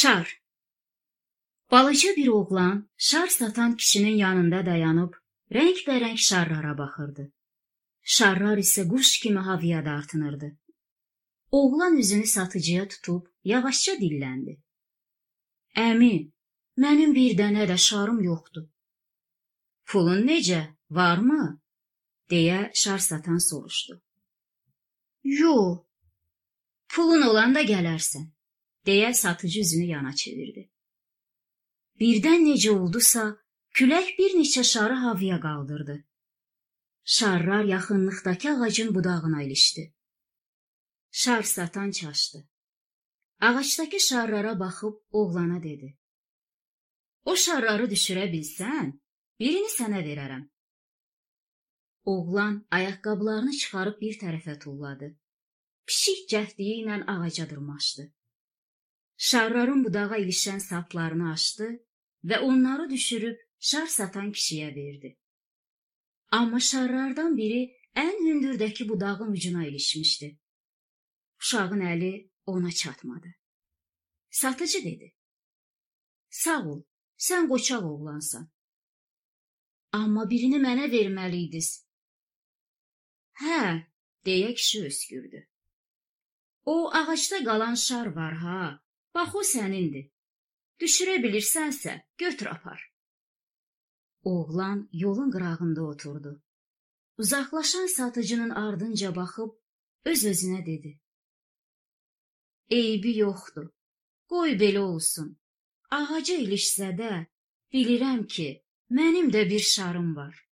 Şar. Balaca bir oğlan şar satan kişinin yanında dayanıb rəngbərəng şarlara baxırdı. Şarlar isə quş kimi havaya dartınırdı. Oğlan üzünü satıcıya tutub yavaşca dilləndi. Əmi, mənim bir dənə də şarım yoxdur. Pulun necə, varmı? Deyə şar satan soruşdu. Yox, pulun olanda gələrsən, deyə satıcı üzünü yana çevirdi. Birdən necə oldusa, külək bir neçə şarı havaya qaldırdı. Şarlar yaxınlıqdakı ağacın budağına ilişdi. Şar satan çaşdı. Ağacdakı şarlara baxıb oğlana dedi. O şarları düşürə bilsən, birini sənə verərəm. Oğlan ayaqqabılarını çıxarıb bir tərəfə tulladı. Pişik cəhdiyi ilə ağaca dırmaşdı. Şarların budağa ilişən saplarını açdı və onları düşürüb şar satan kişiyə verdi. Amma şarlardan biri ən hündürdəki budağın ucuna ilişmişdi. Uşağın əli ona çatmadı. Satıcı dedi. Sağ ol, sən qoçaq oğlansan. Amma birini mənə verməliydiniz. Hə, deyə kişi öskürdü. O ağacda qalan şar var ha, bax o sənindir. Düşürə bilirsənsə, götür apar. Oğlan yolun qırağında oturdu. Uzaqlaşan satıcının ardınca baxıb öz-özünə dedi. Eybi yoxdur, qoy belə olsun. Ağaca ilişsə də, bilirəm ki, mənim də bir şarım var.